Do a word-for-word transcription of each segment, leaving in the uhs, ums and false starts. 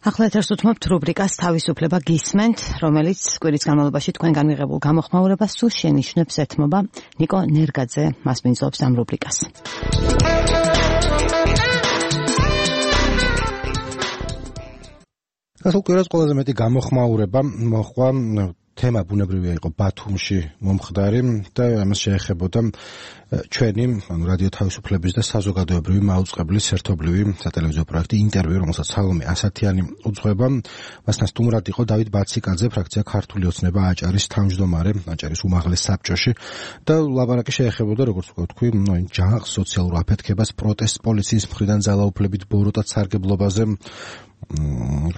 ახლა ეთერს უთმობთ რუბრიკას თავისუფლება გისმენთ, რომელიც კვირის განმავლობაში თქვენგან მიღებულ გამოხმაურებას სულ შენიშნებს ეთმობა. ნიკო ნერგაძე მას მინძლობს ამ რუბრიკას. გასულ კვირას ყველაზე მეტი გამოხმაურება მოჰყვა თემა ბუნებრივია იყო ბათუმში მომხდარი და ამას შეეხებოდა ჩვენი ანუ რადიო თავისუფლების და საზოგადოებრივი მაუწყებლის ერთობლივი სატელევიზიო პროექტი ინტერვიუ, რომელსაც სალომე ასათიანი უძღვება. მასთან სტუმრად იყო დავით ბაციკაძე, ფრაქცია ქართული ოცნება აჭარის თავმჯდომარე, აჭარის უმაღლეს საბჭოში და ლაპარაკი შეეხებოდა, როგორც ვთქვი, ჯანყს, სოციალურ აფეთქებას, პროტესტს, პოლიციის მხრიდან ძალაუფლებით ბოროტად სარგებლობაზე,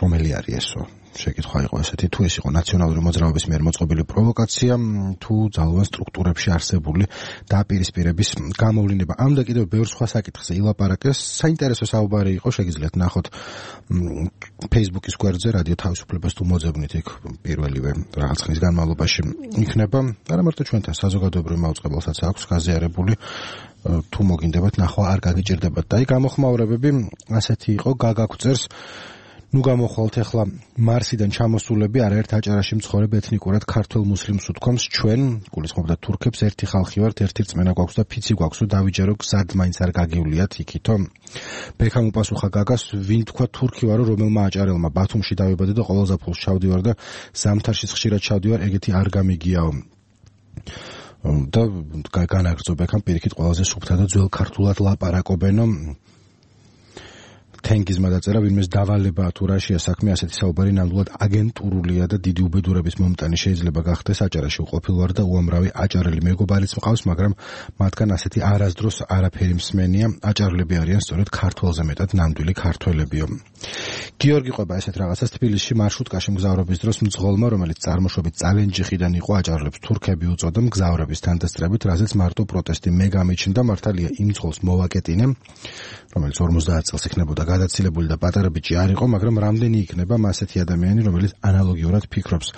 რომელი არის ესო? შეკითხვა იყო ესეთი, თუ ეს იყო ნაციონალური მოძრაობის მიერ მოწყობილი პროვოკაცია, თუ ძალოვან სტრუქტურებში არსებული დაპირისპირების გამოვლინება. ამ და კიდევ ბევრ სხვა საკითხზე ილაპარაკეს. საინტერესო საუბარი იყო, შეგიძლიათ ნახოთ Facebook-ის გვერდზე, რადიო თავისუფლებას თუ მოძებნით, იქ პირველივე რაღაც ხნის განმავლობაში იქნება. არა მარტო ჩვენთან, საზოგადოებრივ მაუწყებელსაც აქვს გაზიარებული, თუ მოგინდებათ ნახვა, არ გაგიჭირდებათ. და აი გამოხმაურებები ასეთი იყო, გაგაგვწერს ნუ გამოხვალთ ახლა მარსიდან ჩამოსულები არაერთ აჭარაში მცხოვრებ ეთნიკურად ქართველ მუსლიმს უთქვამს ჩვენ გულისხმობდა თურქებს ერთი ხალხი ვართ, ერთი რწმენა გვაქვს და ფიცი გვაქვს, რომ დავიჯერო გზად მაინც არ გაგივლიათ იქითო. ბექამ უპასუხა გაგას, ვინ თქვა თურქი ვარო, რომელმა აჭარელმა ბათუმში დავიბადე და ყოველ ზაფხულს ჩავდივარ და ზამთარშიც ხშირად ჩავდივარ, ეგეთი არ გამიგიაო. და განაგრძო ბექამ პირიქით ყველაზე სუფთა და ძველ ქართულად ლაპარაკობენო. თენგიზმა დაწერა, ვინმეს დავალებაა თუ რაშია საქმე, ასეთი საუბარი ნამდვილად აგენტურულია და დიდი უბედურების მომტანი შეიძლება გახდეს. აჭარაში უყოფილ ვარ და უამრავი აჭარელი მეგობარიც მყავს, მაგრამ მათგან ასეთი არასდროს არაფერი მსმენია. აჭარელები არიან სწორედ ქართველზე მეტად ნამდვილი ქართველებიო. გიორგი ყვება ესეთ რაღაცას თბილისში მარშრუტკაში მგზავრობის დროს მძღოლმა, რომელიც წარმოშობით წალენჯიხიდან იყო, აჭარელებს თურქები უწოდა მგზავრების თანდასწრებით, რაზეც მარტო პროტესტი მე გამიჩნდა. მართალია იმ მძღოლს მოვაკეტინე, რომელიც ორმოცდაათ წელს იქნებოდა გადაცილებული და პატარა ბიჭი არ იყო, მაგრამ რამდენი იქნება ასეთი ადამიანი, რომელიც ანალოგიურად ფიქრობს.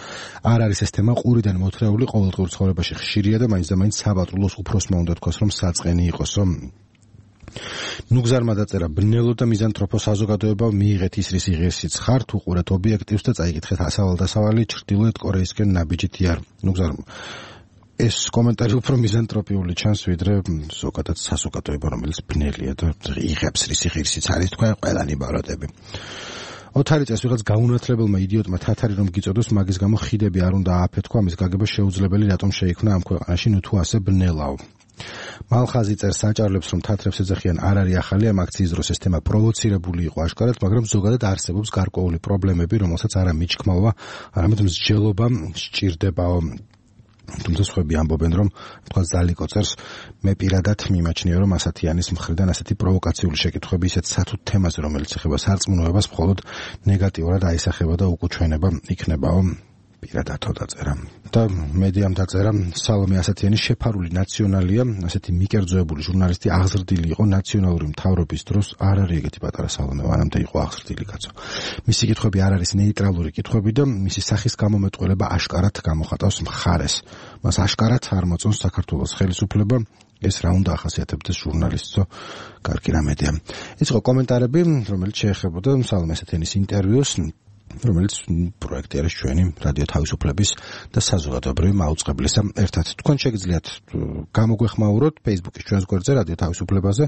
არ არის ეს თემა ყურიდან მოთრეული, ყოველდღიურ ცხოვრებაში ხშირია და მაინც და მაინც საპატრულოს უფროსმა უნდა თქვას, რომ საწყენი იყოსო. ნუგზარმა დაწერა, ბნელო და მიზანთროფო საზოგადოება მიიღეთ ისრის იღესიც ხარ, თუ ყურეთ ობიექტივს და წაიკითხეთ ასავალ-დასავალი ჩრდილოეთ კორეისკენ ნაბიჯითი არ. ნუგზარ ეს კომენტარი უფრო მიზანტროპიული ჩანს, ვიდრე ზოგადად საზოგადოება, რომელიც ბნელია და იღებს რისი ღირსიც არის თქვენ ყველანი ბაროტები. ოთარი წელს ვიღაც გაუნათლებელმა იდიოტმა თათარი რომ გიწოდოს, მაგის გამო ხიდები არ უნდა ააფეთქვა, ამის გაგება შეუძლებელი, რატომ შეიქმნა ამ ქვეყანაში, ნუ თუ ასე ბნელაო. მალხაზი წერს, საჭარლებს რომ თათრებს ეძახიან არ არის ახალი, ამ აქციის დროს ეს თემა პროვოცირებული იყო აშკარად, მაგრამ ზოგადად არსებობს გარკვეული პრობლემები, რომელსაც არა მიჩქმალვა, არამედ მსჯელობა სჭირდებაო. თუმცა სხვები ამბობენ, რომ თქვა ზალიკო წერს, მე პირადად მიმაჩნია, რომ ასათიანის მხრიდან ასეთი პროვოკაციული შეკითხვები ისეთ სათუთ თემაზე, რომელიც ეხება სარწმუნოებას, მხოლოდ ნეგატიურად აისახება და უკუჩვენება იქნებაო. პირადათო დაწერა. და მედიამ დაწერა, სალომე ასათიანი შეფარული ნაციონალია, ასეთი მიკერძოებული ჟურნალისტი აღზრდილი იყო ნაციონალური მთავრობის დროს, არ არის ეგეთი პატარა სალომე, მანამდე იყო აღზრდილი კაცო. მისი კითხვები არ არის ნეიტრალური კითხვები და მისი სახის გამომეტყველება აშკარად გამოხატავს მხარეს. მას აშკარად არ მოწონს საქართველოს ხელისუფლება. ეს რა უნდა ახასიათებდეს ჟურნალისტო, კარგი რამედია. ეს იყო კომენტარები, რომელიც შეეხებოდა სალომე ასათიანის ინტერვიუს, რომელიც პროექტი არის ჩვენი რადიო თავისუფლების და საზოგადოებრივი მაუწყებლისა ერთად. თქვენ შეგიძლიათ გამოგვეხმაუროთ Facebook-ის ჩვენს გვერდზე რადიო თავისუფლებაზე,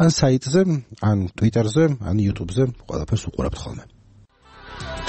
ან საიტზე, ან Twitter-ზე, ან YouTube-ზე, ყველაფერს უყურებთ ხოლმე.